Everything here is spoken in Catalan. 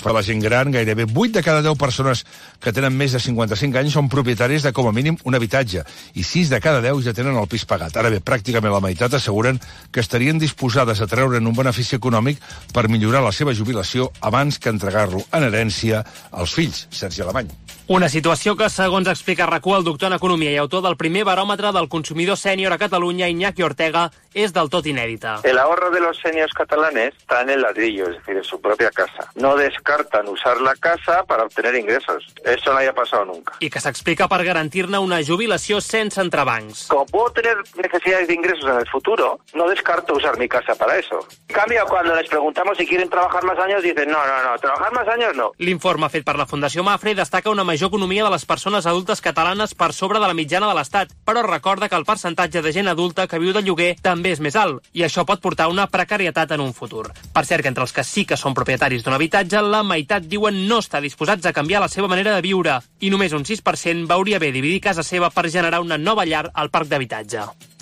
per la gent gran, gairebé 8 de cada 10 persones que tenen més de 55 anys són propietaris de com a mínim un habitatge i 6 de cada 10 ja tenen el pis pagat. Ara bé, pràcticament la meitat asseguren que estarien disposades a treure'n un benefici econòmic per millorar la seva jubilació abans que entregar-lo en herència als fills. Sergi Alemany. Una situació que, segons explica RAC1, el doctor en Economia i autor del primer baròmetre del consumidor sènior a Catalunya, Iñaki Ortega, és del tot inèdita. El ahorro de los seniors catalanes está en el ladrillo, es decir, en su propia casa. No descartan usar la casa para obtener ingresos. Eso no haya pasado nunca. I que s'explica per garantir-ne una jubilació sense entrebancs. Como puedo tener necesidades de ingresos en el futuro, no descarto usar mi casa para eso. En cambio, cuando les preguntamos si quieren trabajar más años, dicen no, trabajar más años no. L'informe fet per la Fundació Mafre destaca una major economia de les persones adultes catalanes per sobre de la mitjana de l'Estat, però recorda que el percentatge de gent adulta que viu de lloguer també és més alt, i això pot portar una precarietat en un futur. Per cert, que entre els que sí que són propietaris d'un habitatge, la meitat diuen no estar disposats a canviar la seva manera de viure, i només un 6% veuria bé dividir casa seva per generar una nova llar al parc d'habitatge.